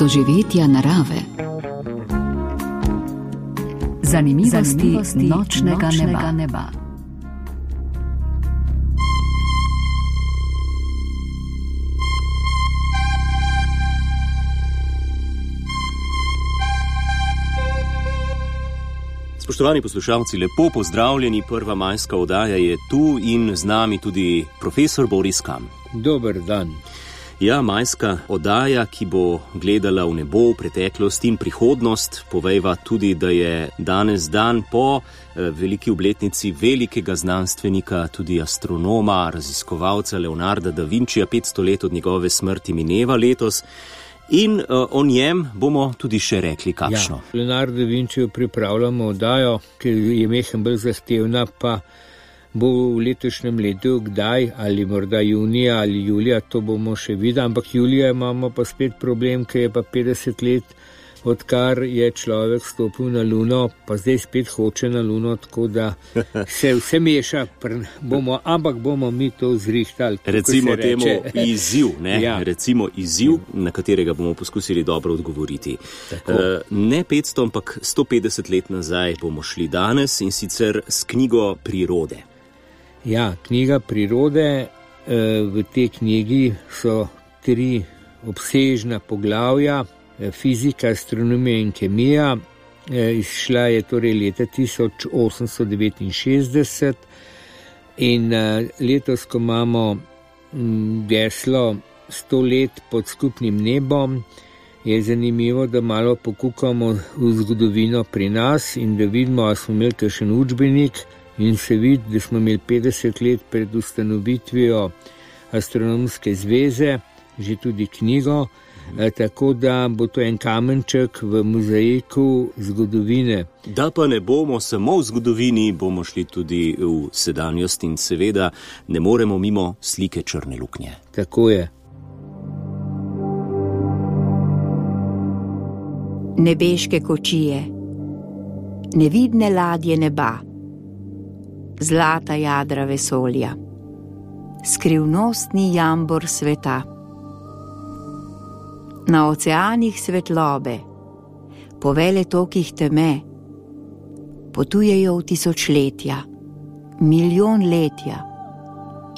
doživetja narave. Zanimivosti nočnega neba. Spoštovani poslušalci, lepo pozdravljeni, prva majska oddaja je tu in z nami tudi profesor Boris Kam. Dober dan. Ja, majska oddaja, ki bo gledala v nebo, v preteklost in prihodnost, povejva tudi, da je danes dan po veliki obletnici velikega znanstvenika, tudi astronoma, raziskovalca Leonarda da Vincija, 500 let od njegove smrti mineva letos. In o njem bomo tudi še rekli kakšno. Ja, Leonardo da Vinciju pripravljamo oddajo, ki je mehen bolj zahtevna, pa bo v letošnjem letu kdaj, ali morda junija ali julija, to bomo še videli, ampak julija imamo pa spet problem, ker je pa 50 let, odkar je človek stopil na Luno, pa zdaj spet hoče na Luno, tako da se vse meša, ampak bomo mi to zrihtali. Recimo temu izziv, ne? Ja. Recimo izziv, na katerega bomo poskusili dobro odgovoriti. Ne 500, ampak 150 let nazaj bomo šli danes in sicer s knjigo Prirode. Ja, knjiga Prirode, v tej knjigi so 3 obsežna poglavja, fizika, astronomija in kemija. Izšla je torej leta 1869 in letos, ko imamo geslo 100 let pod skupnim nebom, je zanimivo, da malo pokukamo v zgodovino pri nas in da vidimo, ali smo imeli kakšen učbenik, in se vidi, da smo imeli 50 let pred ustanovitvijo Astronomske zveze, že tudi knjigo, tako da bo to en kamenček v mozaiku zgodovine. Da pa ne bomo samo v zgodovini, bomo šli tudi v sedanjost in seveda ne moremo mimo slike črne luknje. Tako je. Nebeške kočije, nevidne ladje neba, zlata jadra vesolja, skrivnostni jambor sveta. Na oceanih svetlobe, po veletokih teme, potujejo v tisočletja, milijon letja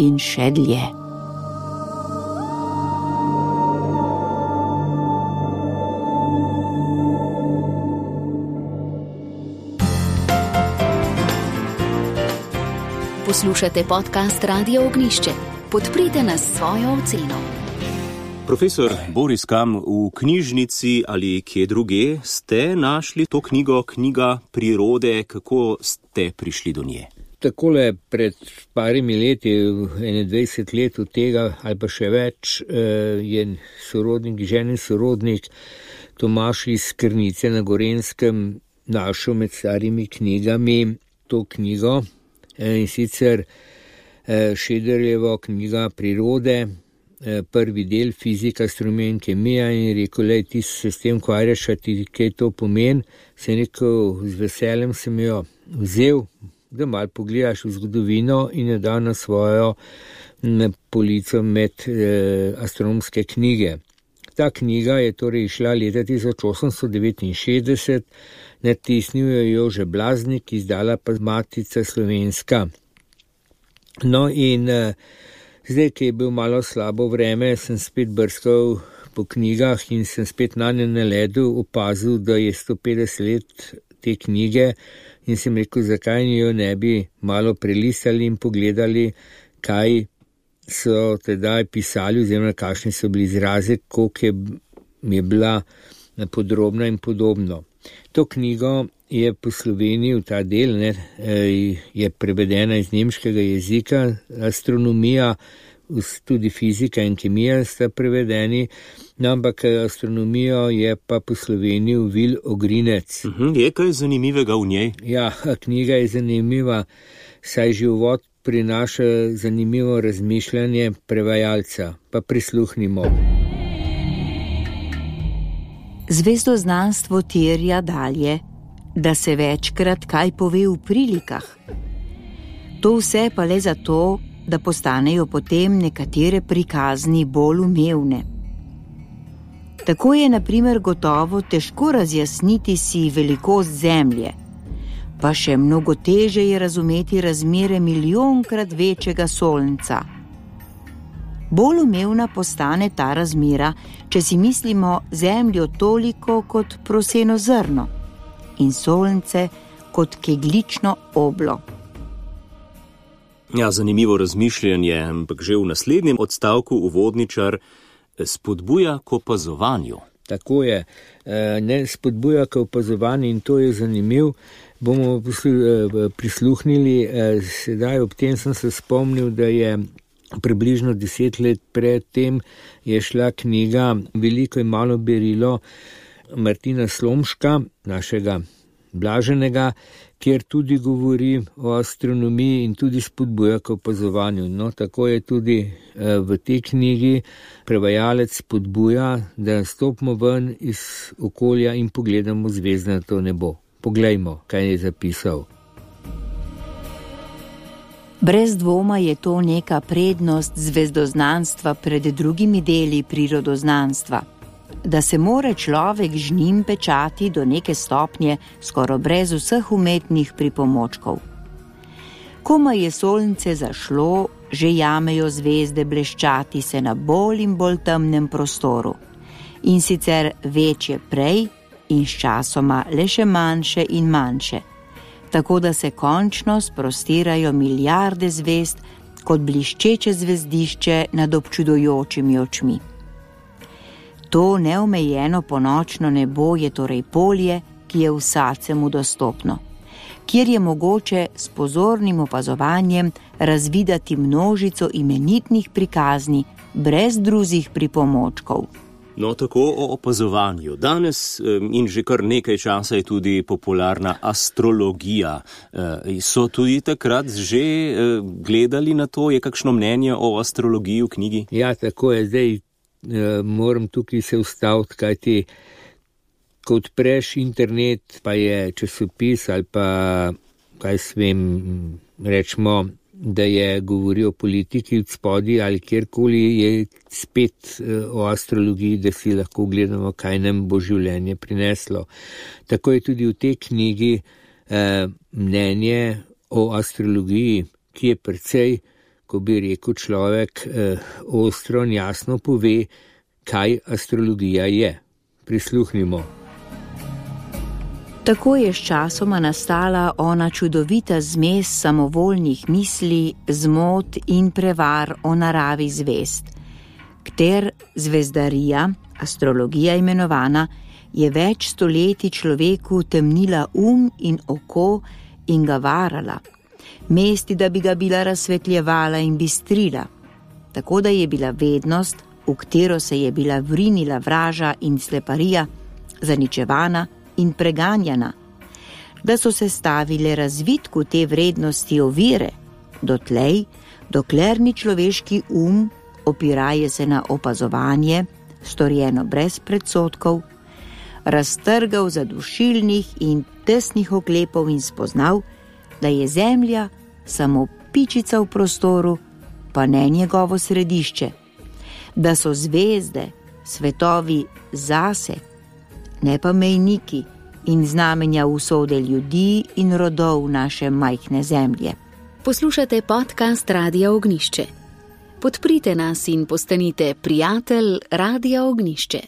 in še dlje. Poslušate podcast Radio Ognjišče. Podprite nas s svojo oceno. Profesor Boris Kam, v knjižnici ali kje druge ste našli to knjigo, knjiga Prirode, kako ste prišli do nje? Takole pred parimi leti, 21 let od tega ali pa še več, je sorodnik, ženin sorodnik Tomaž iz Krnice na Gorenjskem našel med starimi knjigami to knjigo, in sicer Šederljevo knjiga Prirode, prvi del, fizika, astronomija in kemija, in rekel, lej, ti se s tem ukvarjaš, a ti kaj to pomeni. Sem rekel, z veseljem sem jo vzel, da malo pogledaš v zgodovino, in je dal na svojo polico med astronomske knjige. Ta knjiga je torej išla leta 1869, natisnil jo Jože Blaznik, izdala pa Matica Slovenska. No in zdaj, ki je bil malo slabo vreme, sem spet brskal po knjigah in sem spet na nje naledil, opazil, da je 150 let te knjige, in sem rekel, zakaj jo ne bi malo prelistali in pogledali, kaj so tedaj pisali, oziroma kakšni so bili izrazi, koliko je bila podrobna in podobno. To knjigo je po Sloveniji, v ta del, je prevedena iz nemškega jezika, astronomija, tudi fizika in kemija sta prevedeni, no, ampak astronomijo je pa po Sloveniji uvil Ogrinec. Je kaj zanimivega v njej? Ja, knjiga je zanimiva, saj že uvod prinaša zanimivo razmišljanje prevajalca, pa prisluhnimo. Zvezdoznanstvo terja dalje, da se večkrat kaj pove v prilikah. To vse pa le zato, da postanejo potem nekatere prikazni bolj umevne. Tako je na primer gotovo težko razjasniti si velikost Zemlje, pa še mnogo teže je razumeti razmere milijonkrat večjega Sonca. Bolj umevna postane ta razmera, če si mislimo Zemljo toliko kot proseno zrno in Sonce kot keglično oblo. Ja, zanimivo razmišljanje, ampak že v naslednjem odstavku uvodničar spodbuja k opazovanju. Tako je, ne spodbuja k opazovanju in to je zanimiv. Bomo prisluhnili, sedaj ob tem sem se spomnil, da je približno 10 let pred tem je šla knjiga Veliko in malo berilo Martina Slomška, našega blaženega, kjer tudi govori o astronomiji in tudi spodbuja k opazovanju. No, tako je tudi v tej knjigi prevajalec spodbuja, da stopimo ven iz okolja in pogledamo zvezdnato nebo. Poglejmo, kaj je zapisal. Brez dvoma je to neka prednost zvezdoznanstva pred drugimi deli prirodoznanstva, da se mora človek z njim pečati do neke stopnje skoraj brez vseh umetnih pripomočkov. Komaj je sonce zašlo, že jamejo zvezde bleščati se na bolj in bolj temnem prostoru, in sicer večje prej in sčasoma le še manjše in manjše, tako da se končno sprostirajo milijarde zvezd kot bliščeče zvezdišče nad občudujočimi očmi. To neomejeno ponočno nebo je torej polje, ki je vsakemu dostopno, kjer je mogoče s pozornim opazovanjem razvideti množico imenitnih prikazni brez drugih pripomočkov. No, tako o opazovanju. Danes in že kar nekaj časa je tudi popularna astrologija. So tudi takrat že gledali na to? Je kakšno mnenje o astrologiji v knjigi? Ja, tako je. Zdaj moram tukaj se ustaviti, kajti ko odpreš internet, pa je časopis ali pa, kaj smem, rečemo, da je govoril o politiki od spodaj ali kjerkoli, je spet o astrologiji, da si lahko gledamo, kaj nam bo življenje prineslo. Tako je tudi v tej knjigi mnenje o astrologiji, ki je precej, ko bi rekel človek, ostro in jasno pove, kaj astrologija je. Prisluhnimo. Tako je sčasoma nastala ona čudovita zmes samovoljnih misli, zmot in prevar o naravi zvezd, kter zvezdarija, astrologija imenovana, je več stoletij človeku temnila in oko in ga varala, mesti, da bi ga bila razsvetljevala in bistrila, tako da je bila vednost, v katero se je bila vrinila vraža in sleparija, zaničevana in preganjana, da so se stavile razvitku te vrednosti ovire, dotlej, dokler ni človeški opiraje se na opazovanje, storjeno brez predsodkov, raztrgal zadušilnih in tesnih oklepov in spoznal, da je Zemlja samo pičica v prostoru, pa ne njegovo središče, da so zvezde, svetovi zase, ne pa mejniki in znamenja usode ljudi in rodov naše majhne Zemlje. Poslušate podcast Radia Ognišče. Podprite nas in postanite prijatelj Radia Ognišče.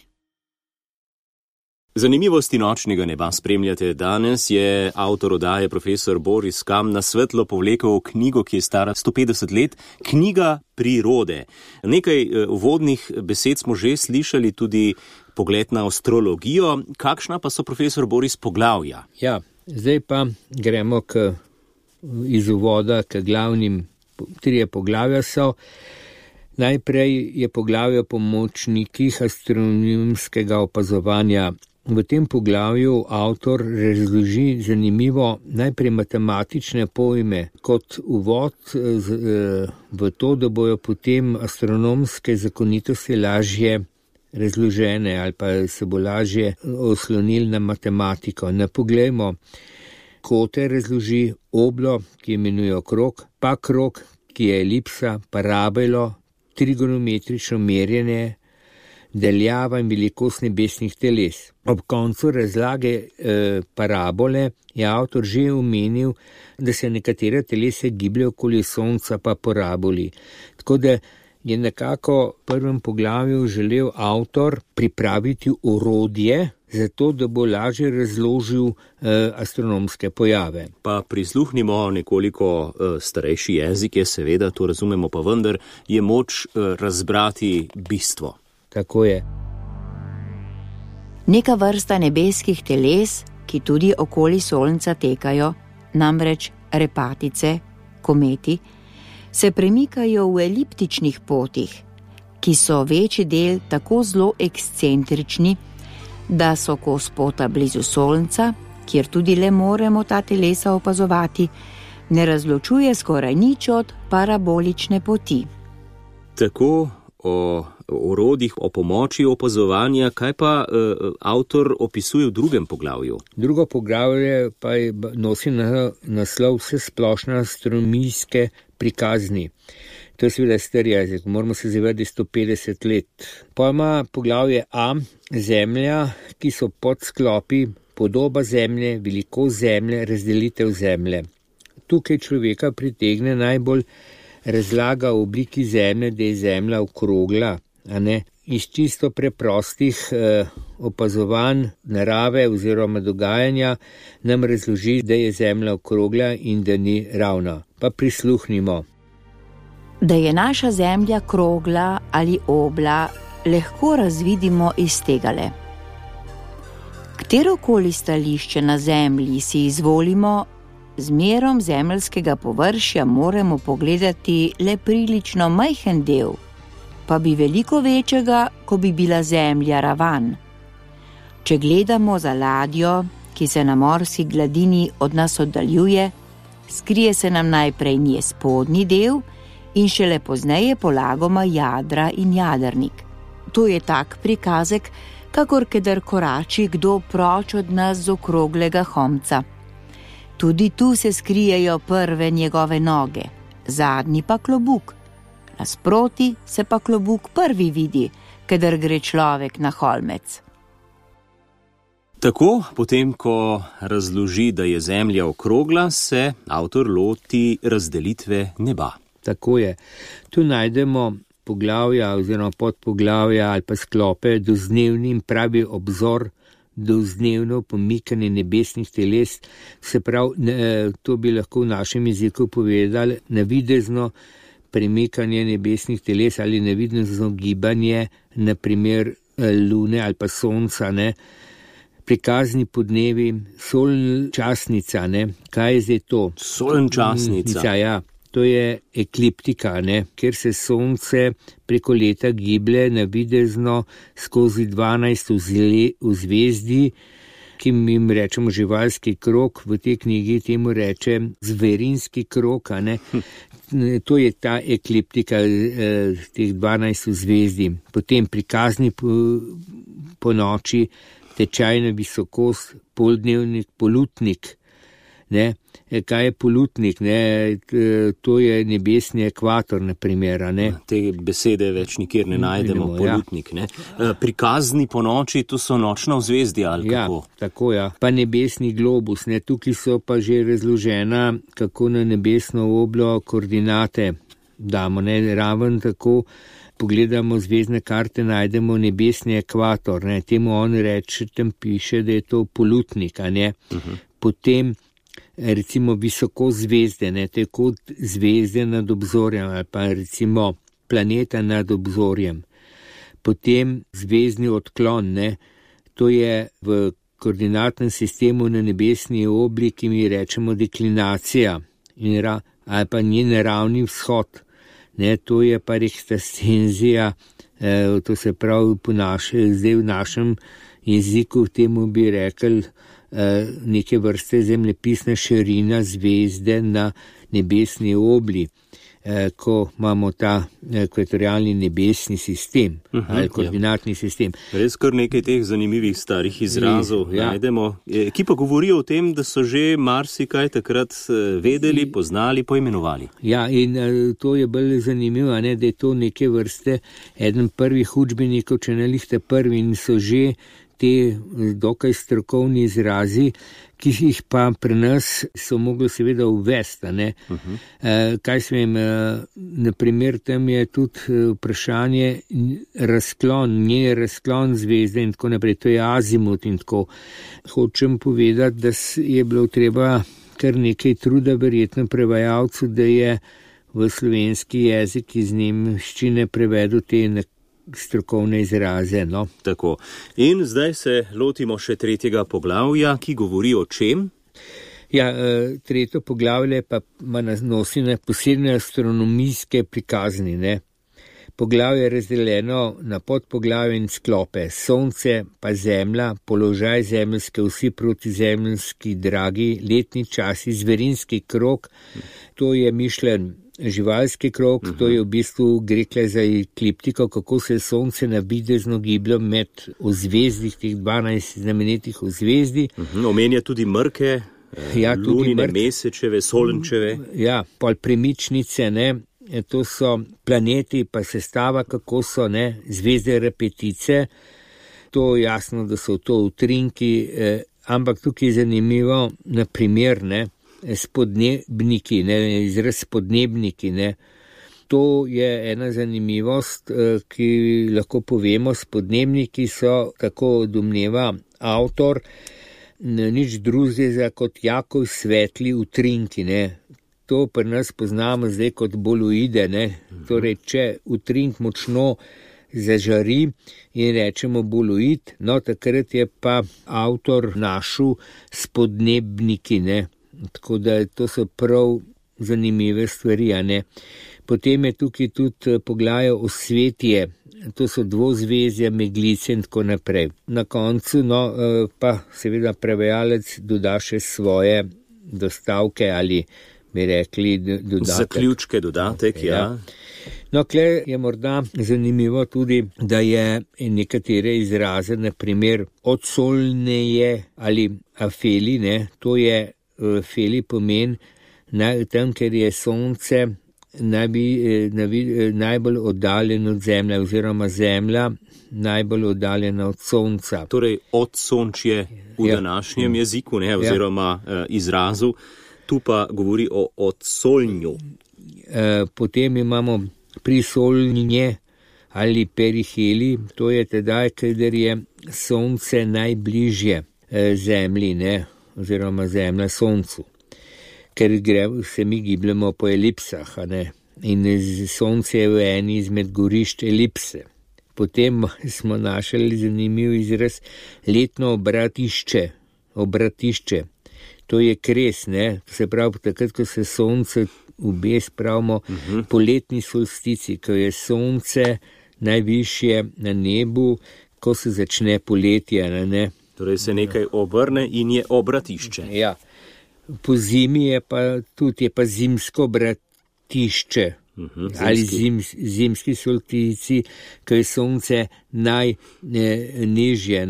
Zanimivosti nočnega neba spremljate. Danes je avtor oddaje profesor Boris Kam na svetlo povlekel knjigo, ki je stara 150 let, Knjiga prirode. Nekaj uvodnih besed smo že slišali, tudi pogled na astrologijo. Kakšna pa so, profesor Boris, poglavja? Ja, zdaj pa gremo iz uvoda k glavnim. 3 poglavja so. Najprej je poglavje o pomočnikih astronomskega opazovanja. V tem poglavju avtor razloži zanimivo najprej matematične pojme kot uvod v to, da bojo potem astronomske zakonitosti lažje razložene ali pa se bo lažje oslonili na matematiko. Poglejmo, kote razloži, oblo, ki imenujejo krog, pa krog, ki je elipsa, parabolo, trigonometrično merjenje, daljava in velikost nebesnih teles. Ob koncu razlage parabole je avtor že omenil, da se nekatera telesa gibljajo okoli sonca pa paraboli. Tako da je nekako v prvem poglavju želel avtor pripraviti orodje, zato da bo lažje razložil astronomske pojave. Pa prisluhnimo nekoliko starejši jezik, je seveda, to razumemo, pa vendar je moč razbrati bistvo. Tako je. Neka vrsta nebeskih teles, ki tudi okoli Sonca tekajo, namreč repatice, kometi, se premikajo v eliptičnih potih, ki so večji del tako zelo ekscentrični, da so kos pota blizu Sonca, kjer tudi le moremo ta telesa opazovati, ne razločuje skoraj nič od parabolične poti. Tako o orodjih, o pomoči opazovanja, kaj pa avtor opisuje v drugem poglavju? Drugo poglavje pa nosi naslov Vsesplošne astronomijske prikazni. To je seveda star jezik, moramo se zavedati 150 let. Pa ima poglavje A, Zemlja, ki so podsklopi, podoba Zemlje, velikost Zemlje, razdelitev Zemlje. Tukaj človeka pritegne najbolj razlaga o obliki Zemlje, da je Zemlja okrogla, a ne? Iz čisto preprostih opazovanj narave oziroma dogajanja nam razloži, da je Zemlja okrogla in da ni ravna. Pa prisluhnimo. Da je naša Zemlja krogla ali obla, lahko razvidimo iz tegale. Katerokoli stališče na Zemlji si izvolimo, z merom zemeljskega površja moramo pogledati le prilično majhen del, pa bi veliko večjega, ko bi bila Zemlja ravan. Če gledamo za ladjo, ki se na morski gladini od nas oddaljuje, skrije se nam najprej njen spodnji del in šele pozneje polagoma jadra in jadrnik. To je tak prikazek, kakor kadar korači kdo proč od nas z okroglega homca. Tudi tu se skrijejo prve njegove noge, zadnji pa klobuk. Nasproti se pa klobuk prvi vidi, kadar gre človek na holmec. Tako, potem ko razloži, da je Zemlja okrogla, se avtor loti razdelitve neba. Tako je. Tu najdemo poglavja oziroma podpoglavja ali pa sklope dozdnevni in pravi obzor, dozdnevno pomikanje nebesnih teles, se pravi, to bi lahko v našem jeziku povedali, navidezno premikanje nebesnih teles ali navidezno gibanje, naprimer Lune ali pa Sonca, ne, prikazni podnevi, solčasnica, ne, kaj je zdaj to? Solčasnica. Ja. To je ekliptika, ne, kjer se Sonce preko leta giblje navidezno skozi 12 vzvezdi, ki jim rečemo živalski krog, v tej knjigi temu reče zverinski krog, ne. To je ta ekliptika teh 12 vzvezdi. Potem prikazni po noči, tečajna visokost, poldnevnik, polutnik. Ne. Kaj je polutnik? Ne? To je nebesni ekvator, na primer. Ne? Te besede več nikjer ne najdemo, polutnik. Ne? Prikazni po noči, to so nočna vzvezdja ali kako? Ja, tako ja. Pa nebesni globus, ne? Tukaj so pa že razložena, kako na nebesno oblo koordinate damo. Ne? Raven tako pogledamo zvezdne karte, najdemo nebesni ekvator. Ne? Temu on reče, tam piše, da je to polutnik. A ne? Potem recimo visoko zvezde, ne, tako zvezde nad obzorjem ali pa recimo planeta nad obzorjem. Potem zvezdni odklon, ne, to je v koordinatnem sistemu na nebesni obli, ki mi rečemo deklinacija ali pa njen ravni vzhod, ne, to je pa rekstastenzija, to se pravi zdaj v našem jeziku temu bi rekli neke vrste zemljepisna širina zvezde na nebesni obli. ko imamo ta ekvatorialni nebesni sistem ali koordinatni sistem. Res kar nekaj teh zanimivih starih izrazov najdemo, ki pa govorijo o tem, da so že marsikaj takrat vedeli, poznali, poimenovali. Ja, in to je bolj zanimivo, da je to neke vrste eden prvih učbenikov, če ne lihte prvi, in so že te dokaj strokovni izrazi, ki jih pa pri nas so mogli seveda uvesti. Kaj smem, naprimer, tam je tudi vprašanje razklon zvezde in tako naprej, to je azimut in tako. Hočem povedati, da je bilo treba kar nekaj truda verjetno prevajalcu, da je v slovenski jezik iz nemščine prevedel te strokovne izraze. No. Tako. In zdaj se lotimo še 3. poglavja, ki govori o čem? Ja, 3. poglavje pa nosi na posebne astronomijske prikazni. Poglavje je razdeljeno na podpoglavje in sklope. Sonce pa Zemlja, položaj zemeljske osi proti zemeljski dragi, letni časi, zverinski krog, to je mišljen živalski krog, to je v bistvu gre za ekliptiko, kako se je Sonce navidezno giblo med ozvezdih, teh 12 znamenitih ozvezdi. Omenja tudi mrke, lunine, mesečeve, solenčeve. Ja, pol premičnice, to so planeti, pa sestava, kako so, zvezde repetice. To jasno, da so to utrinki, ampak tukaj je zanimivo, na primer, spodnebniki, izraz spodnebniki, To je ena zanimivost, ki lahko povemo. Spodnebniki so, tako domneva avtor, nič drugega kot Jakov svetli utrinki, To pri nas poznamo zdaj kot boluide, Torej, če utrink močno zažari in rečemo boluid, takrat je pa avtor našel spodnebniki, Tako da to so prav zanimive stvari, Potem je tukaj tudi poglavje osvetje, to so dvozvezja, meglice in tako naprej. Na koncu, pa seveda prevajalec doda še svoje dostavke ali bi rekli dodatek. Zaključke, dodatek, ja. Kle je morda zanimivo tudi, da je nekatere izraze, na primer odsolneje ali afeli, to je feli pomen, tam, ker je Sonce najbolj oddaljeno od Zemlje, oziroma Zemlja najbolj oddaljena od Sonca. Torej odsončje v današnjem jeziku, oziroma izrazu, tu pa govori o odsolnju. Potem imamo prisolnje ali periheli, to je tedaj, kadar je Sonce najbližje Zemlji, oziroma Zemlja Soncu, ker se mi gibljamo po elipsah, in Sonce je v eni izmed gorišč elipse. Potem smo našli zanimiv izraz letno obratišče, to je kres, to se pravi takrat, ko se Sonce ubes, pravimo poletni solstici, ko je Sonce najvišje na nebu, ko se začne poletje, Torej se nekaj obrne in je obratišče. Ja. Po zimi je pa tudi zimsko obratišče, ali zimski solstici, ko je Sonce najnižje,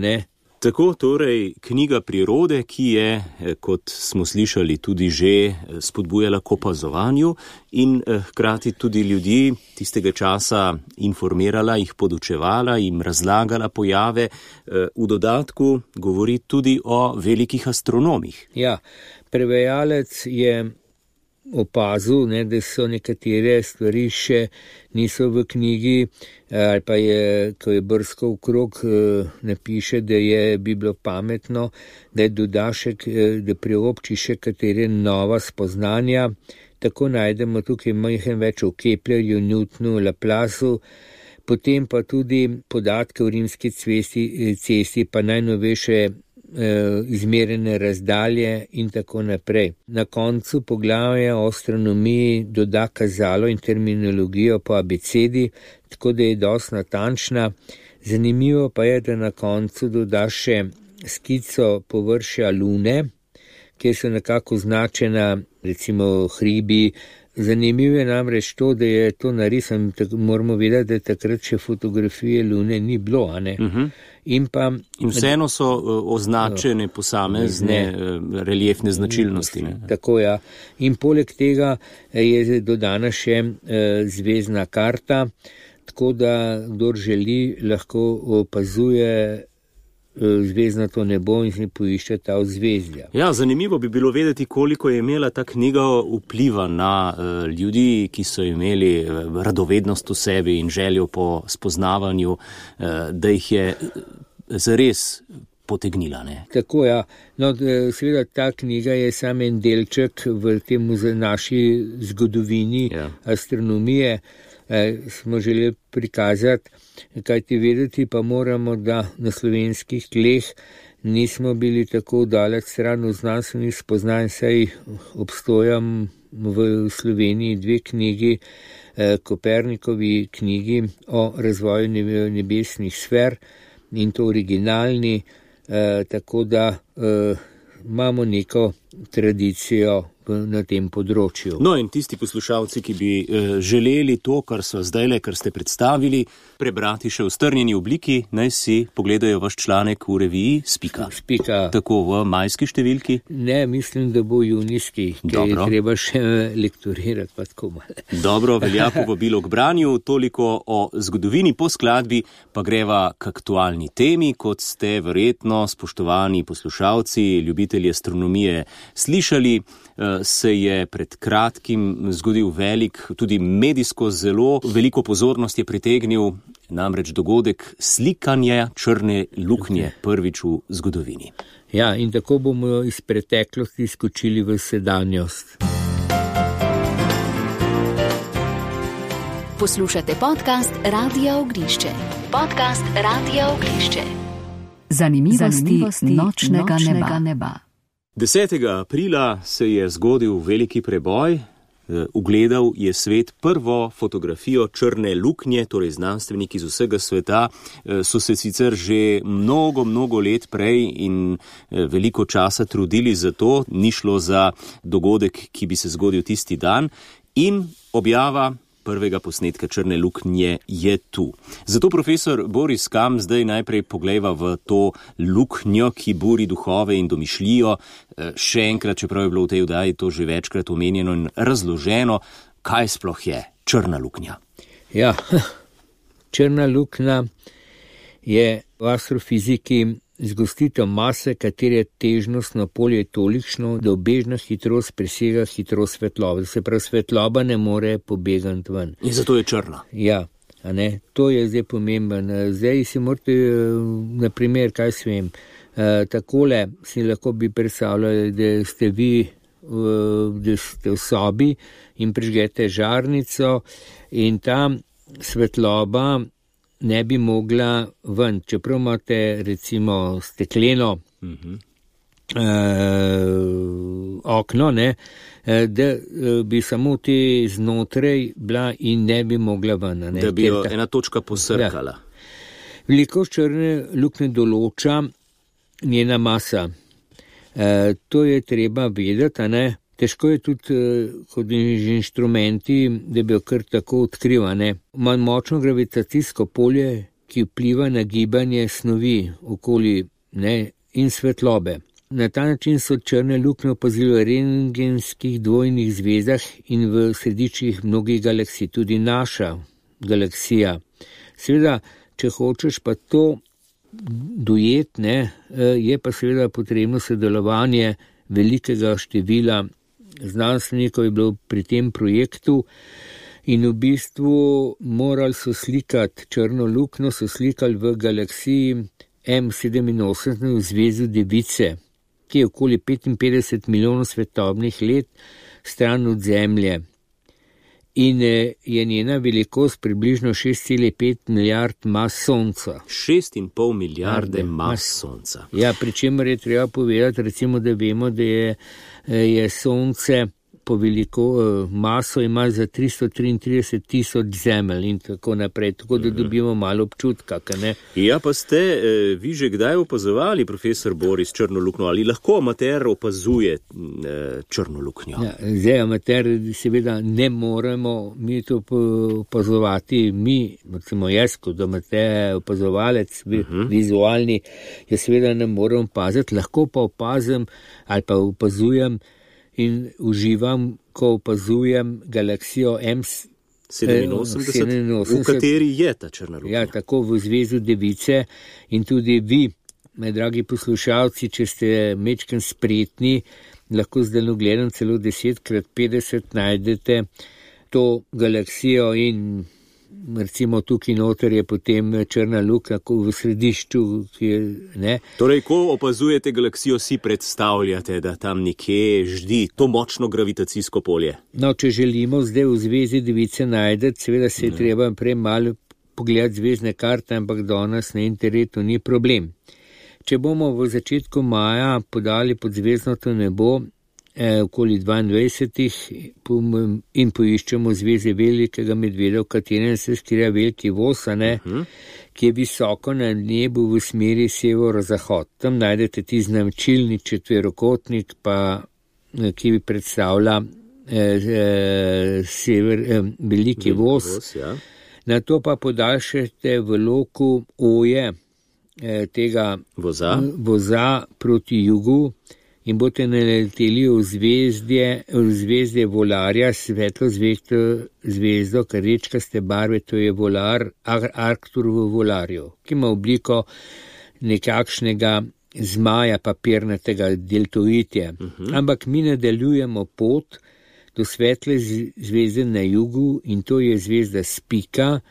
Tako torej knjiga prirode, ki je, kot smo slišali, tudi že spodbujala k opazovanju in hkrati tudi ljudi tistega časa informirala, jih podučevala, jim razlagala pojave. V dodatku govori tudi o velikih astronomih. Ja, prevajalec je opazil, da so nekatere stvari še niso v knjigi, ali pa je, ko je brskal okrog, napiše, da bi bilo pametno, da je dodašek, da priobči še katere nova spoznanja. Tako najdemo tukaj majhen več o Keplerju, Newtonu, Laplaceu, potem pa tudi podatke o rimski cesti, pa najnovejše izmerene razdalje in tako naprej. Na koncu poglavja o astronomiji doda kazalo in terminologijo po abecedi, tako da je dosti natančna. Zanimivo pa je, da na koncu doda še skico površja Lune, kjer so nekako označena recimo hribi, Zanimivo je namreč to, da je to narisan, moramo vedeti, da takrat še fotografije Lune ni bilo, a ne? In vseeno so označene posamezne reliefne značilnosti. Ne? Tako, ja. In poleg tega je dodana še zvezdna karta, tako da kdor želi, lahko opazuje zvezdnato nebo in si poišče ta ozvezdja. Ja, zanimivo bi bilo vedeti, koliko je imela ta knjiga vpliva na ljudi, ki so imeli radovednost v sebi in željo po spoznavanju, da jih je zares potegnila. Ne? Tako, ja. No, seveda ta knjiga je samo en delček v tem naši zgodovini astronomije. Smo želeli prikazati, kaj ti vedeti, pa moramo, da na slovenskih tleh nismo bili tako daleč stran v znanstvenih spoznanj, saj obstojam v Sloveniji 2 knjigi, Kopernikovi knjigi o razvoju nebesnih sfer in to originalni, tako da imamo neko tradicijo na tem področju. No in tisti poslušalci, ki bi želeli to, kar ste predstavili, prebrati še v strnjeni obliki, naj si pogledajo vaš članek v reviji Spika. Tako v majski številki? Ne, mislim, da bo junijski, ker je treba še lektorirati pa tako malo. Dobro, velja povabilo k branju, toliko o zgodovini, po skladbi pa greva k aktualni temi, kot ste verjetno, spoštovani poslušalci, ljubitelji astronomije, slišali. Se je pred kratkim zgodil velik, tudi medijsko zelo veliko pozornost je pritegnil namreč dogodek slikanja črne luknje prvič v zgodovini. Ja, in tako bomo iz preteklosti skočili v sedanjost. Poslušate podcast Radia Ognišče. Podcast Radia Ognišče. Zanimivosti nočnega neba. 10. aprila se je zgodil veliki preboj, ugledal je svet prvo fotografijo črne luknje, torej znanstveniki iz vsega sveta so se sicer že mnogo let prej in veliko časa trudili za to, ni šlo za dogodek, ki bi se zgodil tisti dan in objava prvega posnetka črne luknje je tu. Zato profesor Boris Kam zdaj najprej poglejva v to luknjo, ki buri duhove in domišljijo. Še enkrat, čeprav je bilo v tej oddaji to že večkrat omenjeno in razloženo, kaj sploh je črna luknja. Ja, črna luknja je v astrofiziki zgostitev mase, katere težnostno polje je tolikšno, da obežna hitrost presega hitrost svetlobe. Se pravi, svetloba ne more pobegati ven. In zato je črna. Ja, a ne? To je zdaj pomemben. Zdaj si morate, naprimer, kaj svem, takole si lahko bi predstavljali, da ste vi da ste v sobi in prižgete žarnico in ta svetloba ne bi mogla ven, čeprav imate recimo stekleno okno, ne, da bi samo te znotraj bila in ne bi mogla ven. Ne, da bi jo ena točka posrkala. Ja. Velikost črne luknje določa njena masa. To je treba vedeti, a ne. Težko je tudi kot inštrumenti, da bi jo kar tako odkrivane. Ima močno gravitacijsko polje, ki vpliva na gibanje snovi okoli in svetlobe. Na ta način so črne luknje opazili v rentgenskih dvojnih zvezdah in v središčih mnogih galaksij, tudi naša galaksija. Seveda, če hočeš pa to dojeti, je pa seveda potrebno sodelovanje velikega števila znanstvenikov je bilo pri tem projektu in v bistvu morali so slikati črno luknjo, so slikali v galaksiji M87 v zvezu Device, ki je okoli 55 milijonov svetlobnih let stran od Zemlje. In je njena velikost približno 6,5 milijard mas Sonca. 6,5 milijarde mas Sonca. Ja, pri čemer je treba povedati, recimo, da vemo, da je Sonce po veliko maso ima za 333 tisoč zemelj in tako naprej, tako da dobimo malo občutka, ne? Ja, pa ste vi že kdaj opazovali, profesor Boris, črno luknjo, ali lahko amater opazuje črno luknjo? Ja, zdaj amater seveda ne moremo mi to opazovati, recimo jaz kot amater opazovalec, vizualni, jaz seveda ne morem opaziti, lahko pa opazim ali pa opazujem in uživam, ko opazujem galaksijo M87, v kateri je ta črna luknja. Ja, tako v zvezu Device in tudi vi, dragi poslušalci, če ste mečken spretni, lahko z daljnogledom celo 10x50 najdete to galaksijo in recimo tukaj noter je potem črna luknja v središču, ki je, ne. Torej, ko opazujete galaksijo, si predstavljate, da tam nekje ždi to močno gravitacijsko polje? No, če želimo zdaj v zvezi Device najdeti, seveda se je treba prej malo pogledati zvezdne karte, ampak danes na internetu ni problem. Če bomo v začetku maja podali pod zvezdnato nebo, okoli 22 in poiščemo zveze velikega medveda, v katerem se skriva veliki voz, ki je visoko na nebu v smeri severozahod. Tam najdete ti značilni četverokotnik, ki predstavlja veliki voz. Na to pa podaljšate v loku oje tega voza proti jugu in boste naleteli v zvezdje Volarja, svetlo zvezdo, rečkaste barve, to je Volar, Arctur v Volarju, ki ima obliko nekakšnega zmaja papirnatega deltoidja. Ampak mi nadaljujemo pot do svetle zvezde na jugu in to je zvezda Spika,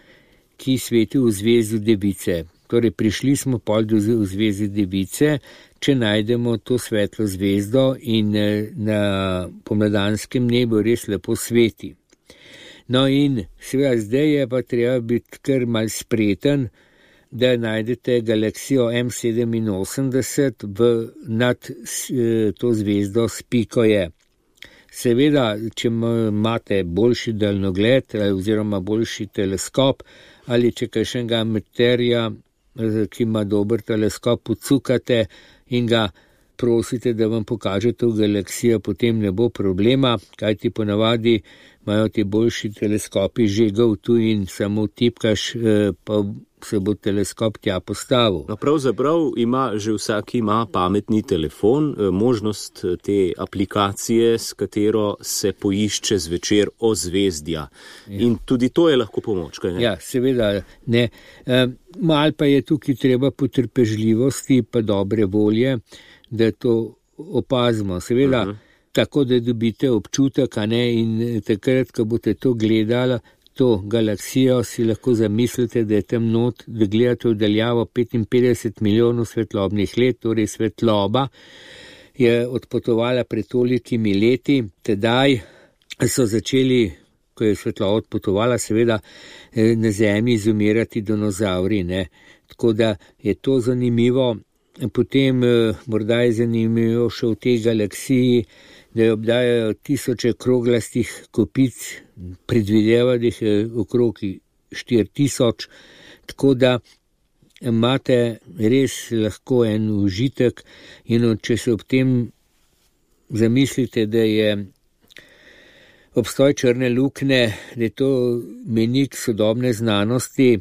ki sveti v zvezdu Device. Torej, prišli smo pol do zvezde Device, če najdemo to svetlo zvezdo in na pomladanskem nebu res lepo sveti. No in seveda zdaj je pa treba biti kar mal spreten, da najdete galaksijo M87 nad to zvezdo Spiko je. Seveda, če imate boljši daljnogled oziroma boljši teleskop ali če kakšnega amaterja, ki ima dober teleskop, pocukate in ga prosite, da vam pokaže to galaksijo, potem ne bo problema, kajti ponavadi imajo ti boljši teleskopi žegov tu in samo tipkaš, pa se bo teleskop tja postavil. No, pravzaprav že vsak ima pametni telefon, možnost te aplikacije, s katero se poišče zvečer ozvezdja. Ja. In tudi to je lahko pomoč, kaj ne? Ja, seveda ne. Mal pa je tukaj treba potrpežljivosti pa dobre volje, da to opazimo. Seveda, tako da dobite občutek, a ne, in takrat, ko boste to gledali, to galaksijo, si lahko zamislite, da je tam not, da gledate v daljavo 55 milijonov svetlobnih let, torej svetloba je odpotovala pred tolikimi leti, tedaj so začeli, ko je svetloba odpotovala, seveda na Zemlji izumirati dinozavri, ne. Tako da je to zanimivo. Potem morda je zanimivo še v tej galaksiji, da obdajajo tisoče kroglastih kopic, predvideva, da jih je okrog 4000, tako da imate res lahko en užitek in če se ob tem zamislite, da je obstoj črne luknje, da je to menik sodobne znanosti,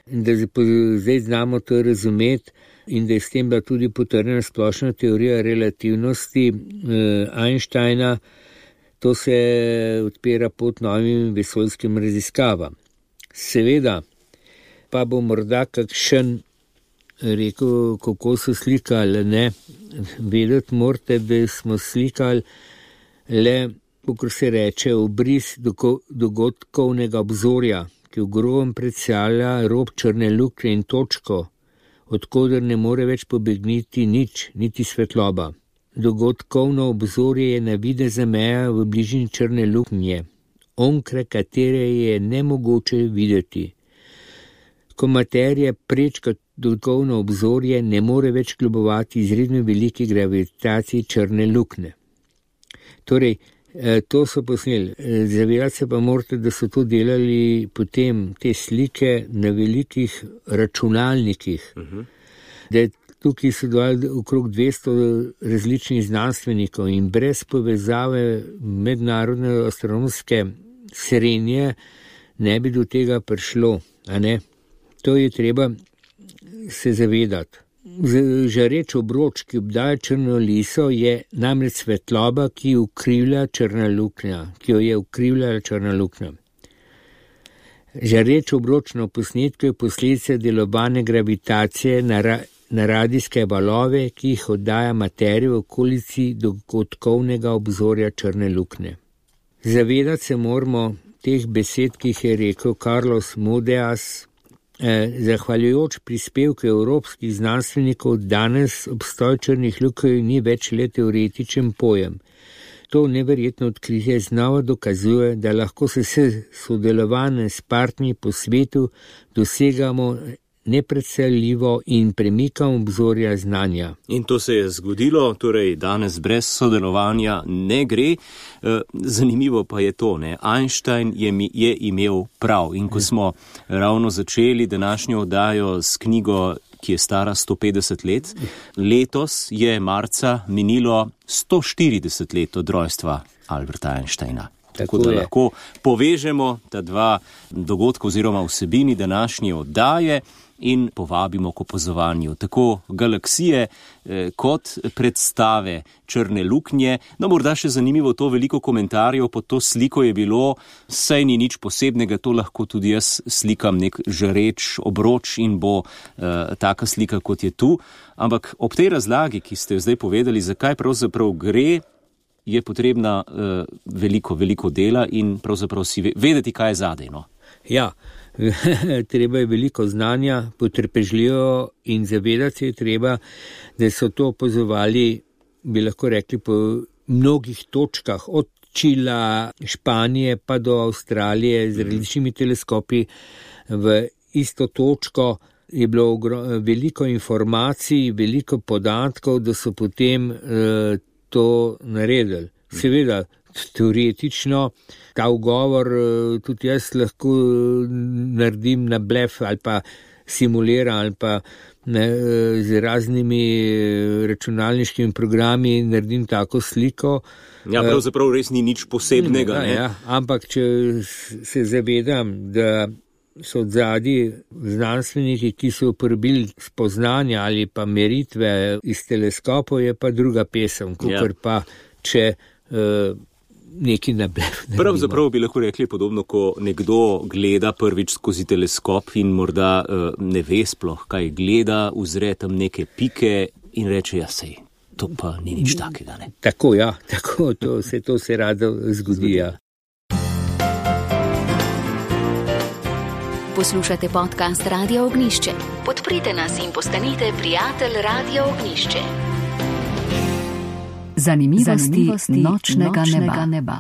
da zdaj znamo to razumeti, in da je s tem bila tudi potrjena splošna teorija relativnosti Einsteina, to se odpira pot novim vesoljskim raziskavam. Seveda pa bo morda kakšen rekel, kako so slikali, ne, vedeti morate, da smo slikali le, kako se reče, obris dogodkovnega obzorja, ki v grobem predstavlja rob črne luknje in točko, odkoder ne more več pobegniti nič, niti svetloba. Dogodkovno obzorje je navidezna meja v bližini črne luknje, onkraj katere je nemogoče videti. Ko materija prečka dogodkovno obzorje, ne more več kljubovati izredno veliki gravitaciji črne luknje. Torej, To so posneli. Zavedati se pa morate, da so to delali potem te slike na velikih računalnikih. Da je tukaj sodelovali okrog 200 različnih znanstvenikov in brez povezave mednarodne astronomske srenje ne bi do tega prišlo, a ne? To je treba se zavedati. Žareč obroč, ki obdaja črno liso, je namreč svetloba, ki ukrivlja črna luknja, ki jo je ukrivljala črna luknja. Žareč obroč na posnetku je posledica delovanja gravitacije na radijske valove, ki jih oddaja materija v okolici dogodkovnega obzorja črne luknje. Zavedati se moramo teh besed, ki jih je rekel Carlos Moedas. Zahvaljujoč prispevku evropskih znanstvenikov danes obstoj črnih lukenj ni več le teoretičen pojem. To neverjetno odkritje znova dokazuje, da lahko se s sodelovanjem s partnerji po svetu dosegamo nepredstavljivo in premikamo obzorja znanja. In to se je zgodilo, torej danes brez sodelovanja ne gre. Zanimivo pa je to, ne? Einstein je imel prav. In ko smo ravno začeli današnjo oddajo s knjigo, ki je stara 150 let, letos je marca minilo 140 let od rojstva Alberta Einsteina. Tako da lahko povežemo ta dva dogodka oziroma vsebini današnje oddaje in povabimo k opazovanju tako galaksije kot predstave črne luknje. No, morda še zanimivo to, veliko komentarjev pod to sliko je bilo, saj ni nič posebnega, to lahko tudi jaz slikam nek žareč obroč in bo taka slika, kot je tu. Ampak ob tej razlagi, ki ste jo zdaj povedali, zakaj pravzaprav gre, je potrebna veliko dela in pravzaprav si vedeti, kaj je zadej, no? Ja, treba je veliko znanja, potrpežljivo in zavedati se je treba, da so to opazovali, bi lahko rekli, po mnogih točkah, od Čila, Španije pa do Avstralije z različnimi teleskopi v isto točko. Je bilo veliko informacij, veliko podatkov, da so potem to naredili. Seveda, teoretično, ta ugovor tudi jaz lahko naredim na blef ali pa simuliram ali pa z raznimi računalniškimi programi naredim tako sliko. Ja, pravzaprav res ni nič posebnega. Ja, ampak če se zavedam, da so odzadaj znanstveniki, ki so uporabili spoznanja ali pa meritve iz teleskopov, je pa druga pesem, kakor pa če neki nablef. Pravzaprav bi lahko rekli podobno, ko nekdo gleda prvič skozi teleskop in morda ne ve sploh, kaj gleda, uzre tam neke pike in reče, ja sej, to pa ni nič takega, ne? Tako, ja, tako, to se rado zgodi, ja. Poslušate podcast Radia Ognjišče. Podprite nas in postanite prijatelj Radia Ognjišče. Zanimivosti nočnega neba.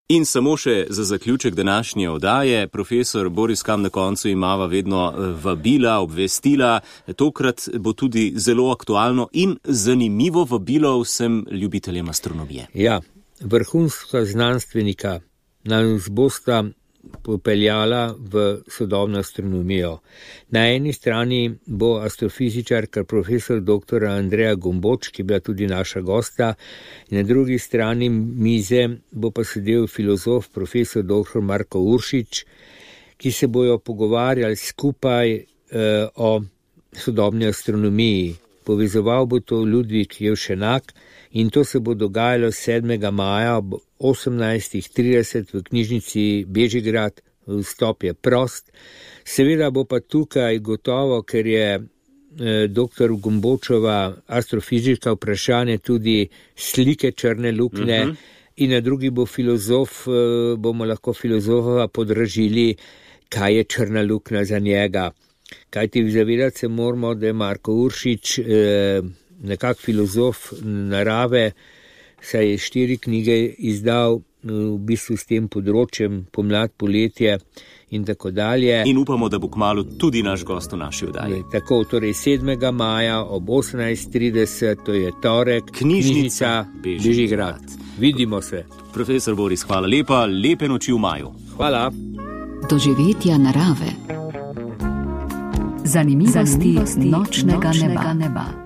In samo še za zaključek današnje oddaje, profesor Boris Kam, na koncu imava vedno vabila, obvestila. Tokrat bo tudi zelo aktualno in zanimivo vabilo vsem ljubiteljem astronomije. Ja, vrhunska znanstvenika nas bosta popeljala v sodobno astronomijo. Na eni strani bo astrofizičarka profesor dr. Andreja Gomboč, ki je bila tudi naša gosta, in na drugi strani mize bo pa sedel filozof profesor dr. Marko Uršič, ki se bojo pogovarjali skupaj o sodobni astronomiji. Povezoval bo to Ludvik Jevšenak in to se bo dogajalo 7. maja ob 18:30 v knjižnici Bežigrad, vstop je prost. Seveda bo pa tukaj gotovo, ker je dr. Gombočova astrofizika vprašanje tudi slike črne luknje in na drugi bo filozof, bomo lahko filozofova podražili, kaj je črna luknja za njega. Kajti zavedati se moramo, da je Marko Uršič nekak filozof narave, saj je 4 knjige izdal v bistvu s tem področjem pomlad, poletje in tako dalje. In upamo, da bo kmalu tudi naš gost v naši oddaji. Tako, torej 7. maja ob 18:30, to je torek, knjižnica Bežigrad. Vidimo se. Profesor Boris, hvala lepa, lepe noči v maju. Hvala. Doživetja narave. Zanimivosti nočnega neba.